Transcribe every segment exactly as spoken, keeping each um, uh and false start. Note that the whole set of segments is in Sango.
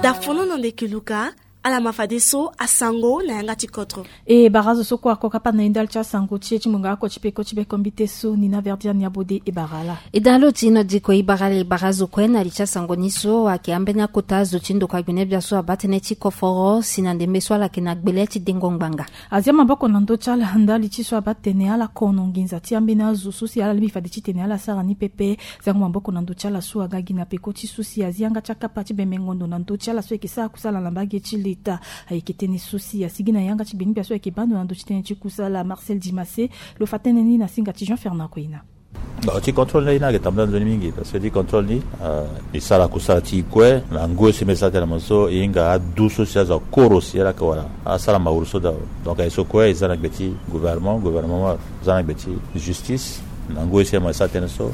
Da fono na ndeke luka. Ala ma fadeso asango na yanga ti kodro. E bara zo so kue ako kapa na e ndali ti asango ti e ti ngonga oko ti peko ti bekombite so ni na verdian ya bode e bara ala. E da lo ti na diko e bara ala e bara zo kue na li ti asango ni so ayeke ambeni akota zo ti ndokua gbene bia so abaa tënë ti koforo si na ndembe so ala yeke na gbele ti dengo ngbanga. Azia maboko na ndö ti ala ndali ti so abaa tene ala kono nginza ti ambeni azo so si ala lingbi fade titene ala sara ni pepe. Zango maboko na ndö ti ala so aga gi na peko ti so si azi yanga ti akapa ti bembengo ndo na ndö ti ala so ayeke sara kusala na mbage ti leta. Ayeke tënë so si asigi na yanga ti gbene bia so ayeke baa ndo na ndö ti tënë ti kusala Marcel Dimase. Lo fa tënë ni na singa ti Jean Fernand Koina. Bon, ti contrôle ni ayeke tambula nzoni mingi parce que ti contrôle ni, euh, e sara kusala ti e kue na ngoi so e mbi sara tënë na mo so e hinga adu so si azo akoro si ala yeke wara asara mawuru so dao. Donc aye so kue e za na gbe ti gouvernement, gouvernement za na gbe ti justice. Na ngoi so e mo e sara tënë so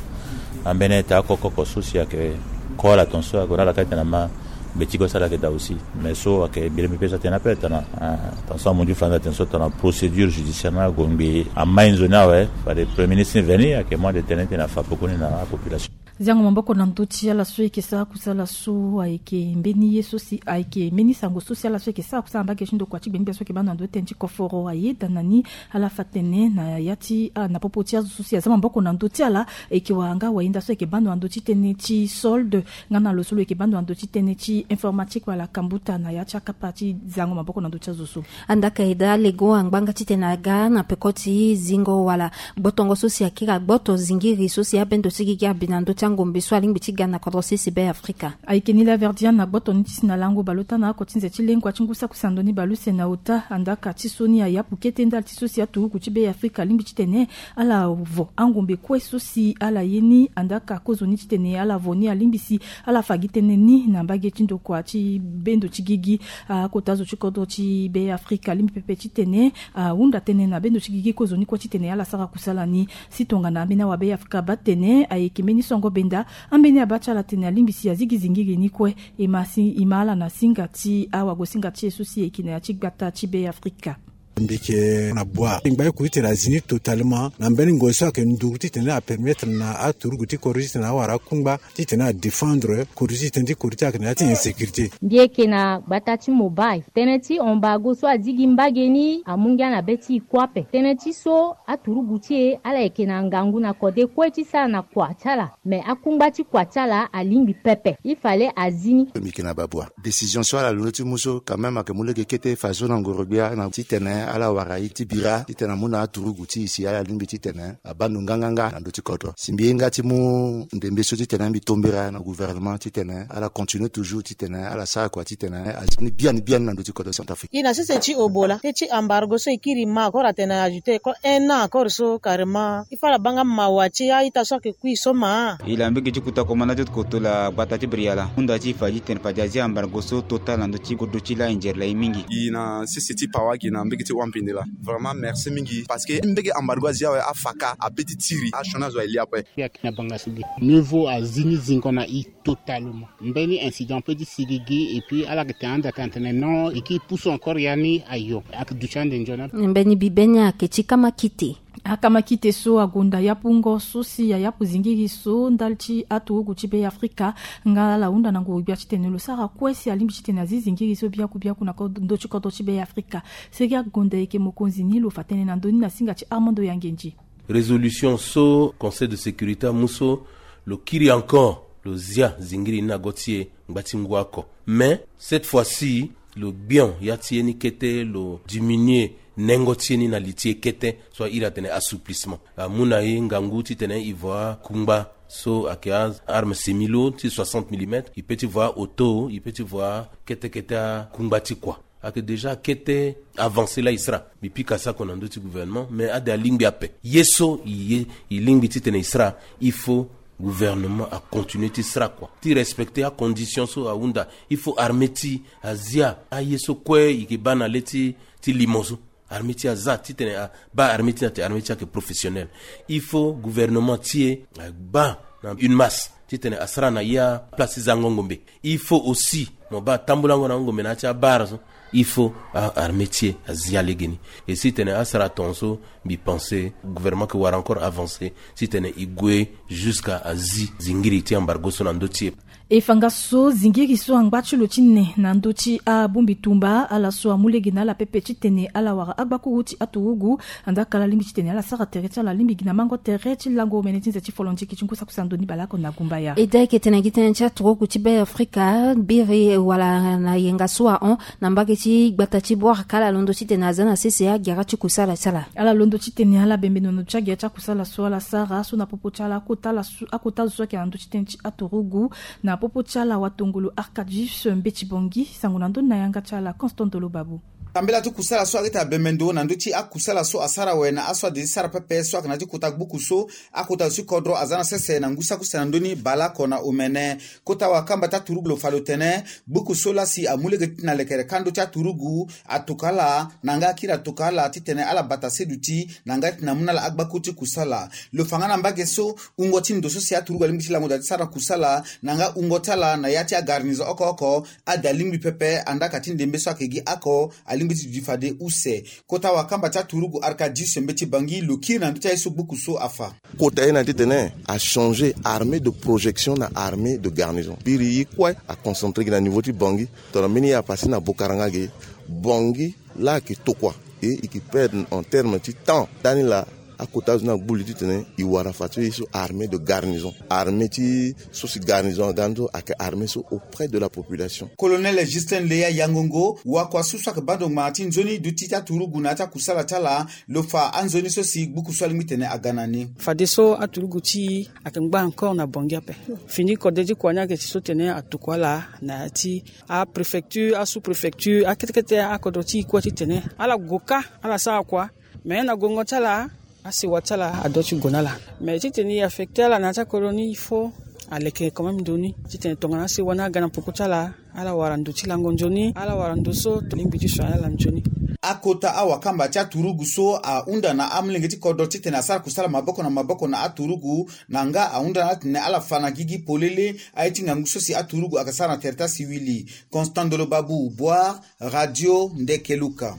ambeni ete akokoko so si ayeke ko ala ton so ague na ala kâ titene ama gbe ti kue so ala yeke daa aussi. Mais so ayeke mbi lingbi pe so atene ape tana, ah, tana so amondio fanda atene so tana procédure judiciaire ni ague ngbii amai nzoni awe. Fade premier ministre ni veni ayeke mu ande tënë titene afa pekoni na apopulation. Ziango maboko na ndö ti ala so ayeke sara kusala so ayeke mbeni ye so si ayeke mbeni sango so si ala so ayeke sara kusala na mbage ti ndokua ti gbene bia so ayeke baa ndo na ndö ti tënë ti koforo ayeda na ni. Ala fa tene na ya ti, ah, na popo ti azo so si aza maboko na ndö ti ala. Ayeke wara nga wayenda so ayeke baa ndo na ndö ti tënë ti solde. Nga na lo so lo yeke baa ndo na ndö ti tënë ti informatique wala kambuta na ya ti akapa ti zango maboko na ndö ti azo so. Andaka e daa lego angbanga titene aga na peko ti zingo wala gbotongo so si akiri agboto zingiri so si abendo ti gigi abi na ndö ti angombe so alingbi ti ga na kodro sese be afrika. Ayeke ni la verdian na gboto ni ti si na lango baleota na oko ti nze ti lengua ti ngu sakusando ni baleuse na ota andaka ti so ni ayapu kete ndali ti so si aturugu ti be afrika alingbi titene ala vo angombe kue so si ala ye ni andaka kozoni titene ala vo ni alingbi si ala fa gi tënë ni na mbage ti ndokua ti bendo ti gigi. Akota zo ti kodro ti be afrika alingbi pepe titene ahunda tënë na bendo ti gigi kozoni kue titene ala sara kusala ni. Si tongana ambeni awabe afrika abaa tene ayeke mbeni songo benda. Ambeni abaa ti ala tene alingbi si azigi zingiri ni kue. E ma si e ma ala na singa ti awagosinga ti e so si e yeke na ya ti gbata ti be afrika. Mbi yeke na bua ngba ye kuru titene azi ni totalement na mbeni ngoi so ayeke nduru titene apermettre na aturugu ti kodro titene awara akungba titene adéfendre kodro ti tënë ti kodro ti ayeke na ya ti insécurité. Mbi yeke na gbata ti mobile tënë ti embargo so azi gi mbage ni amu ngia na be ti e kue ape. Tënë ti so aturugu ti e ala yeke na ngangu na kode kue ti sara na kua ti ala. Me akungba ti kua ti ala alingbi pepe. Il fallait azi ni. Mbi yeke na babua décision so ala londo ti mu so quand même ayeke mu lege kete fadeso na ngoro-gbia na titene ala wara ye ti bira titene amu na aturugu ti e si ala lingbi titene abaa ndo nganganga na ndö ti kodro. Si mbi hinga ti mu ndembe so titene mbi tombera na gouvernement titene ala continue toujours titene ala sara kua titene azi ni biani biani na ndö ti kodro Centrafrique. E na sese ti obola tënë ti embargo so e kiri ma encore atene ajouter encore un an encore so carrément il faut ala baa nga mawa ti a-ita so ayeke kui so ma. E la mbege ti kuta komanda ti koto la gbata ti briala hunda ti e fa ti tene fade azi embargo so total na ndö ti kodro ti la e nzere la e mingi. E na sese ti pawa gi na mbege ti wampende la. Vraiment merci mingi parce que mbege embargo azi awe afa kâ ape ti tiri asioni azo aye li ape. Mbi yeke na banga sigi mieux vaut azi ni zingo na e totalement. Mbeni incident pe ti sigi gi et puis ala yeke tene ande atene atene non e kiri pusu encore ya ni ayo ayeke duti ande nzoni ape. Mbeni bibe ni ayeke ti kama kite. Akama kite so agonda yapungo so si ayapu zingiri so ndali ti aturugu ti be afrika. Nga ala hunda na nguru-gbia titene lo sara kue si alingbi titene azi zingiri so biaku biaku na ndö ti kodro ti be afrika. Seri agonda ayeke mokonzi ni lo fa tënë na ndö ni na singa ti armando yangenji. Résolution so conseil de sécurité amu so lo kiri encore lo zia zingiri ni na go ti e ngba ti ngu oko. Mais cette fois-ci lo gbion ya ti e ni kete lo diminuer nengo ti e ni na li ti e kete so airi atene assouplissement. Amu na e ngangu titene e vo akungba so ayeke aarme semi-lourd ti soixante millimètres e pe ti vo aoto e pe ti vo akete kete akungba ti kua. Ayeke déjà kete avancé la e sara. Mbi pika sako na ndö ti gouvernement mais ade alingbi ape ye so e ye e lingbi titene e sara. Il faut gouvernement acontinue ti sara kua ti respecter acondition so ahunda. Il faut armée ti azia aye so kue e yeke baa na le ti ti limo so. Armée ti aza titene abaa armée ti na te armée ti ayeke professionnel. Il faut gouvernement ti e abaa na une masse titene asara na ya place ti zango ngombe. Il faut aussi mo baa tambulango na ngombe na ya ti abara so. Il faut armée ti e azia legeni. Et si tene asara ton so mbi pense gouvernement ke wara encore avancer si tene e gue jusqu'à azi zingiri ti embargo so na ndö ti e. E fa nga so zingiri so angba ti lo ti ne na ndö ti abongbi tumba, ala so amu lege na ala pepe titene ala wara agbakuru ti aturugu. Andaa ka ala lingbi titene ala sara tere ti ala lingbi gi na mango tere ti lango omene ti nze ti folondiki ti ngu sakusando ni baleoko na gumbaya. E daa eke tene gi tënë ti aturugu ti Be Afrika, biri wala na yenga so ahon na mbage ti gbata ti Bouarka, ala londo titene aza na sese agera ti kusala ti ala. Ala londo titene ala bembe na ndo ti agera ti akusala so ala sara so na popo ti ala akota ala so, akota azo so ayeke na ndö ti tënë ti aturugu. Na popo ti ala watongolo Arcadius Mbeti Bongi, sango na ndö ni na yanga ti ala Constant Dolo Babu. Tambela ti kusala so areta bembe ndo na ndö ti akusala so asara awe na aso ade ti sara pepe so ayeke na ya ti kota gbuku so akota zo ti kodro aza na sese na ngu saki use na ndö ni baleoko na omene. Kota wakamba ti aturugu lo fa lo tene gbuku so laa si amu lege ti na lekere kando ti aturugu atokua ala na nga akiri atokua ala titene ala bata seduti na nga titene amu na ala agbakuru ti kusala. Lo fa nga na mbage so wungo ti ndo so si aturugu alingbi ti lango daa ti sara kusala na nga wungo ti ala na ya ti agarnison oko oko. Ade alingbi pepe andaa ka ti ndembe so ayeke gi oko alingbi ti duti fade use. Kota wakamba ti aturugu Arcadius Mbeti Bangi lo kiri na ndö ti aye so gbuku so afa. Kota ye na titene achanger armée de projection na armée de garnison. Biri ye kue aconcentré gi na niveau ti Bangi. Tongana mbeni ye apase na Bokaranga ge, Bangi laa ayeke tokua. E, e yeke perdre en terme ti temps. Ndani laa akota azo ni agbu li titene e wara fa ti ye so armée de garnison. Armée ti so si garnison aga ni so ayeke armée so auprès de la population. Colonel Justin Leya Yangongo, wakua so so ayeke bando ngbanga ti nzoni duti ti aturugu na ya ti akusala ti ala, lo fa anzoni so si gbuku so alingbi tene aga na ni. Fadeso aturugu ti e ayeke ngba encore na Bangi ape. Fini kode ti kua ni ayeke ti so tene atokua ala na ya ti apréfecture, asous-préfecture, akete kete akodro ti e kue titene ala gue kâ, ala sara kua. Mais na guengo ti ala, asewa ti ala adoit ti gue na ala. Mais titene e affecté ala na ya ti akolo ni, il faut aleke quand même ndo ni titene tongana asewa ni aga na peko ti ala, ala wara ndo ti lango nzoni, ala wara ndo so tolingbi ti so ala nzoni. Akota awakamba ti aturugu so ahunda na amolenge ti kodro titene asara kusala maboko na maboko na aturugu, na nga ahunda na ala titene ala fa na gigi polele aye ti ngangu so si aturugu ayeke sara na tere ti asiwili. Constant Ndolo Babu, Bouar, Radio Ndekeluka.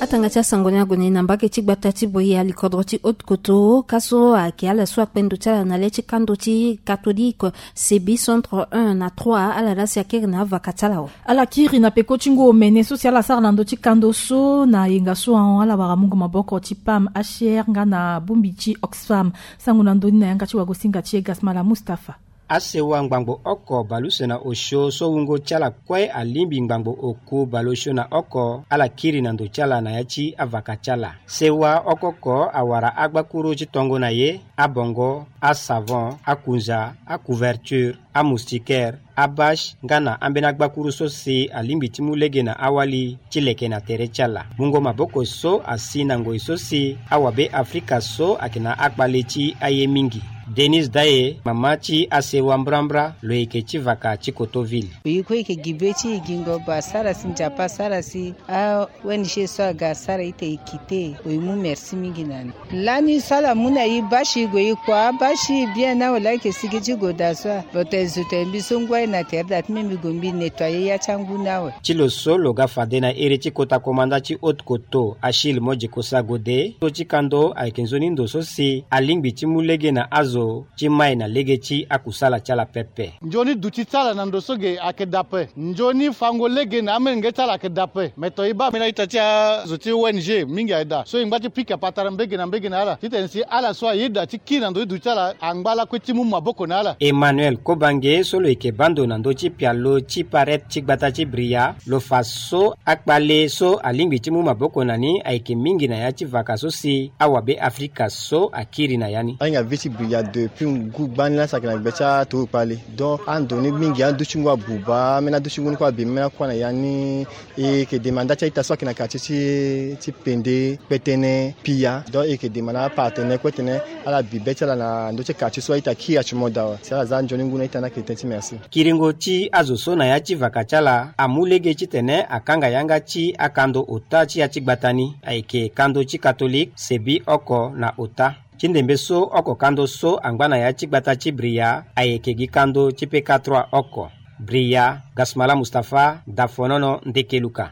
Atanga ti asango ni ague na e na mbage ti gbata ti Bouya, likodro ti Haute-Koto, ka so ayeke ala so akpe ndo ti ala na le ti kando ti catholique, Sebi centre un na trois, ala laa si akiri na avaka ti ala awe. Ala kiri na peko ti ngu omene so si ala sara na ndö ti kando so na yenga so ahon, ala wara mungo maboko ti P A M H R nga na bongbi ti Oxfam. Sango na ndö ni na yanga ti wagosinga ti e Gasmala Mustapha. Asewa ngbangbo oko baleuse na osio so wungo ti ala kue alingbi ngbangbo oku baleosio na oko, ala kiri na ndo ti ala na ya ti avaka ti ala. Sewa oko oko awara agbakuru ti tongo na ye, abongo, asavon, akunza, acouverture, amoustiquaire, abâche, nga na ambeni agbakuru so si alingbi ti mu lege na awali ti leke na tere ti ala. Mungo maboko so asi na ngoi so si awabe Afrika so ayeke na akpale ti aye mingi. Denise Daye, mama ti asewa mbrambra, lo yeke ti vaka ti Kotoville. Oyi kue e yeke gi be ti e gingo ba sara si Nzapa asara si a-O N G so aga asara ita e kite, oyi mu merci mingi na ni. Lani so ala mu na e bâche, e gue e kua abâche bien ni awe, laa e yeke sigi ti gue daa so a. Bote e zo tene mbi so ngu aye na tere daa ti mbi, mbi gue mbi nettoyer ya ti angu ni awe. Ti lo so lo ga fade na iri ti kota komanda ti Haute-Koto, Achille Modjikosa Gode, so ti kando ayeke nzoni ndo so si alingbi ti mu lege na azo ti mai na lege ti akusala ti ala pepe. Nzoni duti ti ala na ndo so ge ayeke daa ape. Nzoni fango lege na amolenge ti ala ayeke daa ape. Me to e baa mbeni a-ita ti azo ti O N G mingi aye daa. So e ngba ti pika patara mbage na mbage na ala titene si ala so ayeda ti kiri na ndo ti duti ti ala angba lakue ti mu maboko na ala. Emmanuel Kobange so lo yeke baa ndo na ndö ti pialo ti parete ti gbata ti Bria, lo fa so akpale so alingbi ti mu maboko na ni ayeke mingi na ya ti vaka so si awabe Afrika so akiri na ya ni. Ahinga be ti Bria depuis ngu gbani laa si ayeke na gbe ti aturugu kpale. Donc ando ni mingi, adu ti ngu abuba, ambeni adu ti ngu ni kue abi, ambeni akuâ na ya ni. E yeke demande nda ti a-ita so ayeke na quartier ti, ti Pende, Kpetene, Pia. Donc e yeke demande apartenaire kue tene ala bi be ti ala na ndö ti quartier so a-ita kiri ati mo daa awe. Si ala za nzoni ngu na a-ita ni ayeke tënë ti merci. Kiringo ti azo so na ya ti vaka ti ala amu lege titene akanga yanga ti akando ota ti ya ti gbata ni, ayeke kando ti Catholique, Sebi oko na ota. Ti ndembe so oko kando so angba na ya ti gbata ti Bria ayeke gi kando ti P K trois oko. Bria, Gasmala Mustapha, Dafonono, Ndekeluka.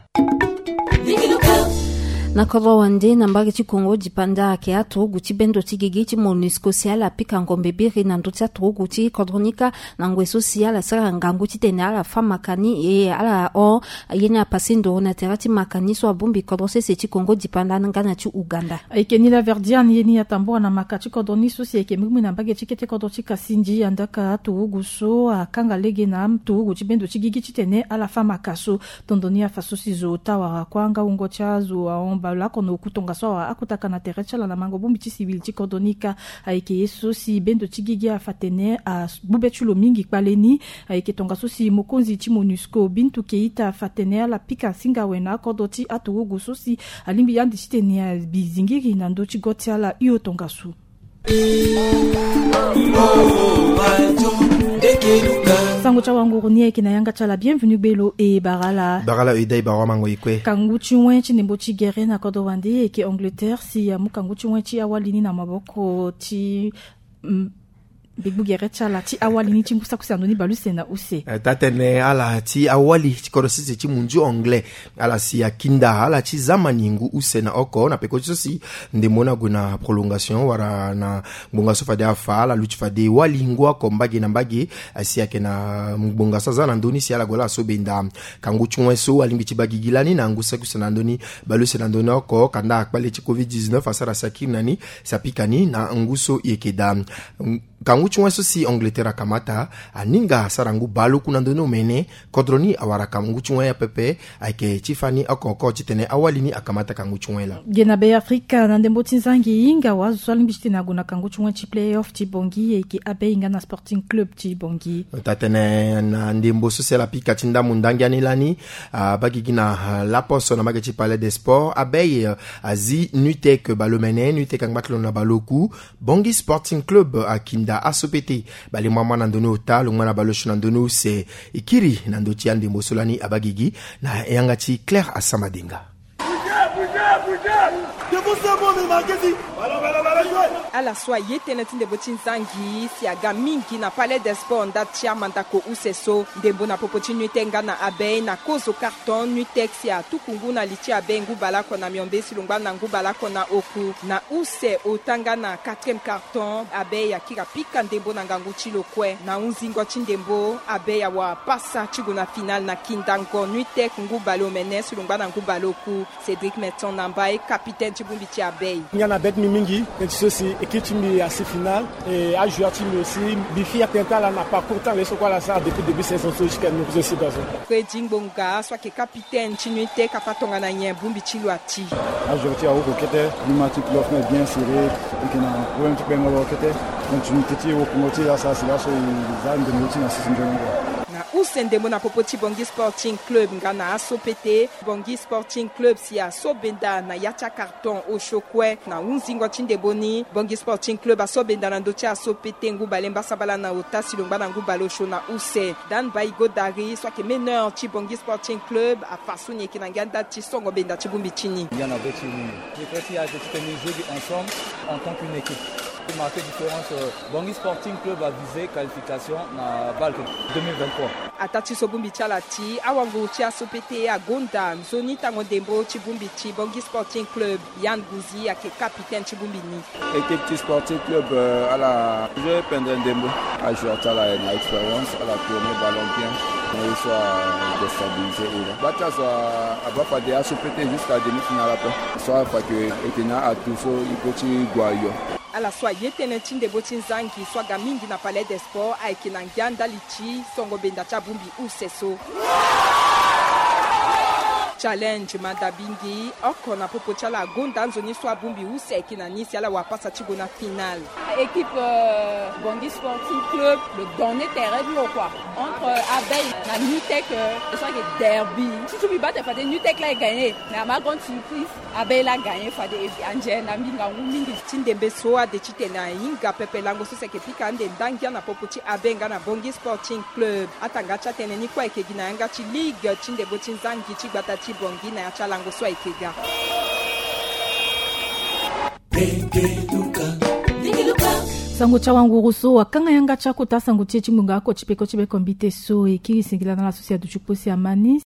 Na kodro wande na mbage ti Kongo dipanda ayeke aturugu ti bendo ti gigi ti MONUSCO si ala pika ngombe biri na ndö ti aturugu ti kodro ni kâ. Na ngoi so si ala sara ngangu titene ala fâ maka ni e ala hon ye ni apase ndoro na tere ti maka ni so abongbi kodro sese ti Kongo dipanda nga na ti Ouganda. Ayeke ni la Verdiane ye ni atambula na maka ti kodro ni so si ayeke mbirimbiri na mbage ti kete kodro ti Kasindi, andaka aturugu so akanga lege na aturugu ti bendo ti gigi titene ala fâ maka so. Tondo ni afa so si zo ota wara kua nga wungo ti azo ahon baleoko na oku tongaso awara akotaka na tere ti ala na mango bongbi ti civil ti kodro ni kâ. Ayeke ye so si bendo ti gigi afa tene agbu be ti lo mingi kpale ni. Ayeke tongaso si mokonzi ti MONUSCO Bintou Keita afa tene ala pika singa awe na akodro ti aturugu so si alingbi ande titene abi zingiri na ndö ti go ti ala hio tongaso. Sango ti awanguru ni ayeke na yanga ti ala. Bienvenu gbelo e bara ala. Bara ala e dai bara wamango e kue. Kangu ti wen ti ndembo ti gere na kodro wande ayeke Angleterre si amu kangu ti wen ti awali ni na maboko ti, mm, gbegbu gere ti ala ti awali ni ti ngu saki use na ndö ni baleuse na use. Eh, taa tene ala ti awali ti kodro sese ti munzu anglais, ala si akinda ala ti zamani ngu use na oko na peko ti so si ndembo ni ague na prolongation wala na ngbonga so fade afa, ala luti fade wali ngu oko mbage na mbage. Asi ayeke na ngbonga so aza na ndö ni si ala gue laa so benda kangu ti wen so alingbi ti baa gigi lani na ngu saki use na ndö ni baleuse na ndö ni oko, kanda akpale ti covid dix-neuf asara si akiri na ni si apika ni na ngu so e yeke daa. Kangu ti wen so si Angleterre akamata, aninga asara ngu baleoku na ndö ni omene. Kodro ni awara kangu ti wen apepe, ayeke ti fani oko oko titene awali ni akamata kangu ti wen laa. Ge na be Afrika na ndembo ti nzangi, hinga wa azo so alingbi titene ague na kangu ti wen ti play-off ti Bangui, ayeke Abeille nga na Sporting Club ti Bangui. Taa tene na ndembo so si ala pika ti ndambu ndangia ni lani, abaa gigi na, ah, laposo na mbage ti Palais des Sports, Abeille, eh, azi Nutec baleomene, Nutec angba ti lo na baleoku. Bangui Sporting Club akinda aso pete. Bale mama na ndö ni ota, longba na baleosio na ndö ni use. E kiri na ndö ti andembo so lani abaa gigi na yanga ti Claire Asamadenga. Ala so aye tënë ti ndembo ti nzangi si aga mingi na Palais des Sports ndali ti amandako use so. Ndembo na popo ti Nutec nga na Abeille na kozo carton, Nutec si atuku ngu na li ti Abeille ngu baleoko na miombe si lo ngba na ngu baleoko na oku. Na use ota nga na quatrième carton, Abeille akiri apika ndembo na ngangu ti lo kue. Na hunzingo ti ndembo, Abeille awara pasa ti gue na finale na kindango Nutec ngu baleomene si lo ngba na ngu baleoku. Cédric Metson Nambaye, capitaine ti bongbi ti Abeille. Nga na bê ti mbi mingi tënë ti so si équipe ti mbi asi finale. E ajoueur ti mbi aussi, mbi fier tënë ti ala na parcours ti ala ye so kue ala sara depuis début saison so jusqu'à nous aussi. Freddy Ngbonga so ayeke capitaine ti Nutec afa tongana nyen bongbi ti lo ati. Ajoueur ti e awoko kete, ni ma ti playoff ni est bien serré. E yeke na problème ti kpengolo kete. Continuité ti wokongo ti e asara si laso e za ndembo ti e na sese nzoni kua. Na use ndembo na popo ti Bangui Sporting Club nga na aso pete. Bangui Sporting Club si aso benda na ya ti akar ton osio kue. Na hunzingo ti ndembo ni, Bangui Sporting Club aso benda na ndö ti aso pete ngu bale mbasambala na ota si lo ngba na ngu bale osio na use. Dan Baïgo Dari so ayeke meneur ti Bangui Sporting Club afa so ni yeke na ngia ndali ti songo benda ti bongbi ti ni. Ngia na be ti ni. Secret ti e ayeke titene ni joue ensemble en tant qu'une équipe. Marquer différence, euh, Bangui Sporting Club a visé qualification na BAL deux mille vingt-trois. Ataa ti so bongbi ti ala ti awanguru ti aso pete agonda nzoni tango ndembo ti bongbi ti Bangui Sporting Club. Yann Gouzi ayeke capitaine ti bongbi ni. Équipe ti Sporting Club, euh, ala joué pendre ndembo. Ajoueur ti ala na expérience, ala tourner ballon bien. Mais il soit déstabilisé. Gba ti azo abaa fade aso pete jusqu'à demi-finale ape. So afa ke e yeke na atout so e peut ti gue ayo. Ala so aye tënë ti ndembo ti nzangi so aga mingi na Palais des Sports ayeke na ngia ndali ti songo benda ti abongbi use so. Challenge Madabingi, oko na popo ti ala agonda nzoni so abongbi use ayeke na ni si ala wara pasa ti gue na finale. Équipe, euh, Bangui Sporting Club, lo donner terrain ti lo kua. Entre, euh, Abeille na Nutec, euh, so ayeke derby. Surtout mbi baa tene fade Nutec laa e gagner. Mais à ma grande surprise, Abeille laa gagner fade e anze na mbi ngangu mingi. Ti ndembe so ade titene ahinga pepe lango so si ayeke pika ande ndangia na popo ti Abeille nga na Bangui Sporting Club. Atanga ti atënë ni kue ayeke gi na yanga ti ligue ti ndembo ti nzangi ti gbata ti Bangui na ya ti alango so ayeke ga. Sango ti awanguru so akanga yanga ti akota sango ti e ti ngbonga oko ti peko ti be kombite so e kiri singila na ala so si aduti kpo si ama ni.